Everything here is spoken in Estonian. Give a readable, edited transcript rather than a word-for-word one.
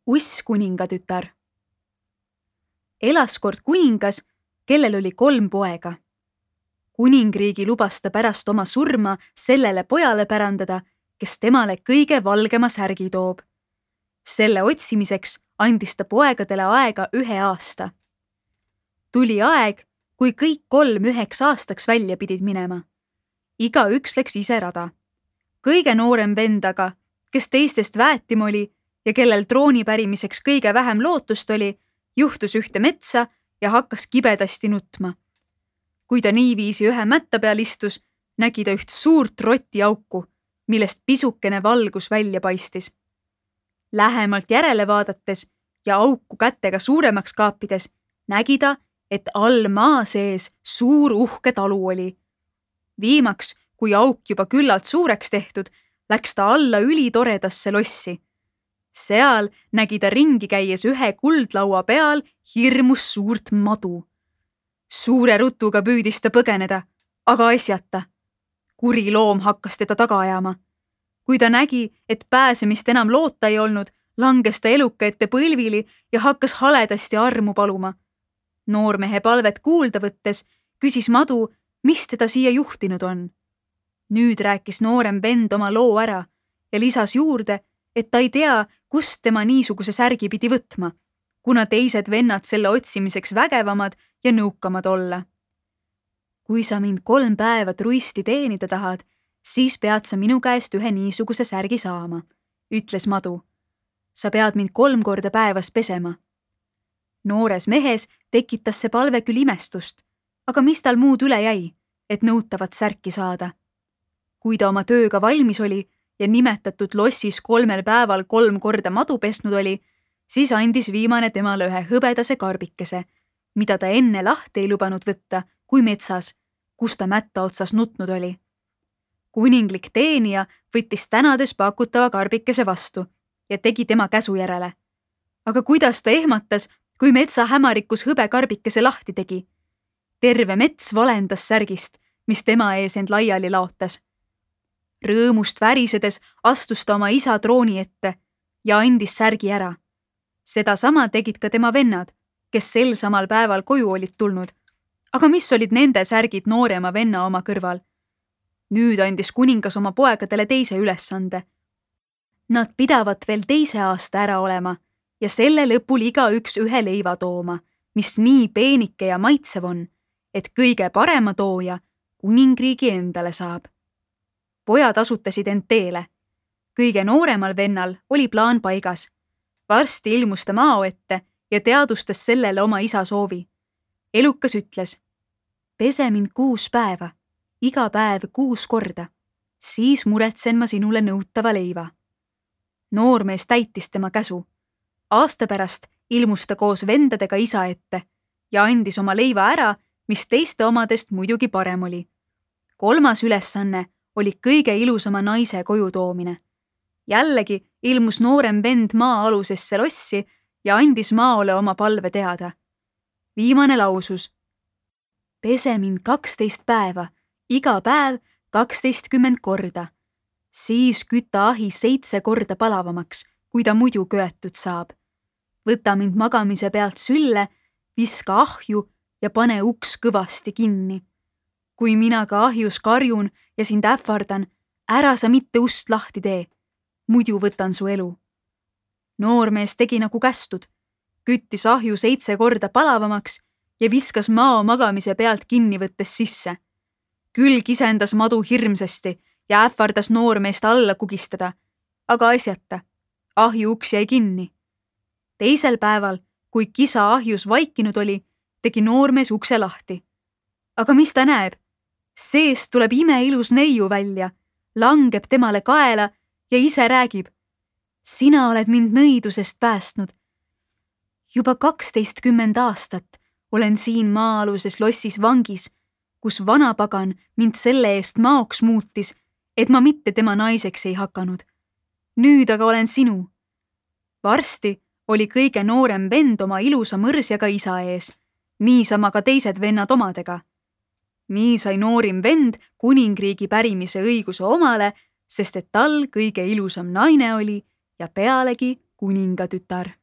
Uss kuningatütar. Elas kord kuningas, kellel oli 3 poega. Kuningriigi lubas ta pärast oma surma sellele pojale pärandada, kes temale kõige valgema särgi toob. Selle otsimiseks andis ta poegadele aega 1 aasta. Tuli aeg, kui kõik 3 1 aastaks välja pidid minema. Igaüks läks ise rada. Kõige noorem vend aga, kes teistest väetim oli ja kellel trooni pärimiseks kõige vähem lootust oli, juhtus ühte metsa ja hakkas kibedasti nutma. Kui ta niiviisi ühe mätta peal istus, nägi ta üht suurt rotiauku, millest pisukene valgus välja paistis. Lähemalt järele vaadates ja auku kätega suuremaks kaapides, nägi ta, et all maa sees suur uhke talu oli. Viimaks, kui auk juba küllalt suureks tehtud, läks ta alla ülitoredasse lossi. Seal nägi ta ringi käies ühe kuldlaua peal hirmus suurt madu. Suure rutuga püüdis ta põgeneda, aga asjata. Kuri loom hakkas teda taga ajama. Kui ta nägi, et pääsemist enam loota ei olnud, langes ta eluka ette põlvili ja hakkas haledasti armu paluma. Noormehe palvet kuulda võttes küsis madu, mis teda siia juhtinud on. Nüüd rääkis noorem vend oma loo ära ja lisas juurde, et ta ei tea, kust tema niisuguse särgi pidi võtma, kuna teised vennad selle otsimiseks vägevamad ja nõukamad olla. Kui sa mind 3 päeva truisti teenida tahad, siis pead sa minu käest ühe niisuguse särgi saama, ütles madu. Sa pead mind 3 korda päevas pesema. Noores mehes tekitas see palve küll imestust, aga mis tal muud üle jäi, et nõutavat särki saada. Kui ta oma tööga valmis oli ja nimetatud lossis 3 päeval 3 korda madu pesnud oli, siis andis viimane temale ühe hõbedase karbikese, mida ta enne lahti ei lubanud võtta, kui metsas, kus ta mätta otsas nutnud oli. Kuninglik teenija võttis tänades pakutava karbikese vastu ja tegi tema käsu järele. Aga kuidas ta ehmatas, kui metsa hämarikus hõbe karbikese lahti tegi? Terve mets valendas särgist, mis tema ees end laiali laotas. Rõõmust värisedes astus ta oma isa trooni ette ja andis särgi ära. Seda sama tegid ka tema vennad, kes sel samal päeval koju olid tulnud. Aga mis olid nende särgid noorema venna oma kõrval? Nüüd andis kuningas oma poegadele teise ülesande. Nad pidavat veel 2 aasta ära olema ja selle lõpul igaüks ühe leiva tooma, mis nii peenike ja maitsev on, et kõige parema tooja kuningriigi endale saab. Pojad asutasid end teele. Kõige nooremal vennal oli plaan paigas. Varsti ilmus ta mao ette ja teadustas sellele oma isa soovi. Elukas ütles, pese mind 6 päeva, iga päev 6 korda, siis muretsen ma sinule nõutava leiva. Noormees täitis tema käsu. Aasta pärast ilmus ta koos vendadega isa ette ja andis oma leiva ära, mis teiste omadest muidugi parem oli. 3. ülesanne oli kõige ilusama naise koju toomine. Jällegi ilmus noorem vend maa-alusesse lossi ja andis maole oma palve teada. Viimane lausus, pese mind 12 päeva, iga päev 12 korda. Siis küta ahi 7 korda palavamaks, kui ta muidu köetud saab. Võta mind magamise pealt sülle, viska ahju ja pane uks kõvasti kinni. Kui mina ka ahjus karjun ja sind ähvardan, ära sa mitte ust lahti tee, muidu võtan su elu. Noormees tegi nagu kästud, küttis ahju 7 korda palavamaks ja viskas mao magamise pealt kinni võttes sisse. Küll kisendas madu hirmsasti ja ähvardas noormeest alla kugistada, aga asjata, ahju uks jäi kinni. Teisel päeval, kui kisa ahjus vaikinud oli, tegi noormees ukse lahti. Aga mis ta näeb? Seest tuleb imeilus neiu välja, langeb temale kaela ja ise räägib. Sina oled mind nõidusest päästnud. Juba 12 aastat olen siin maa-aluses lossis vangis, kus vanapagan mind selle eest maoks muutis, et ma mitte tema naiseks ei hakanud. Nüüd aga olen sinu. Varsti oli kõige noorem vend oma ilusa mõrsjaga isa ees, niisama ka teised vennad omadega. Nii sai noorim vend kuningriigi pärimise õiguse omale, sest et tal kõige ilusam naine oli ja pealegi kuningatütar.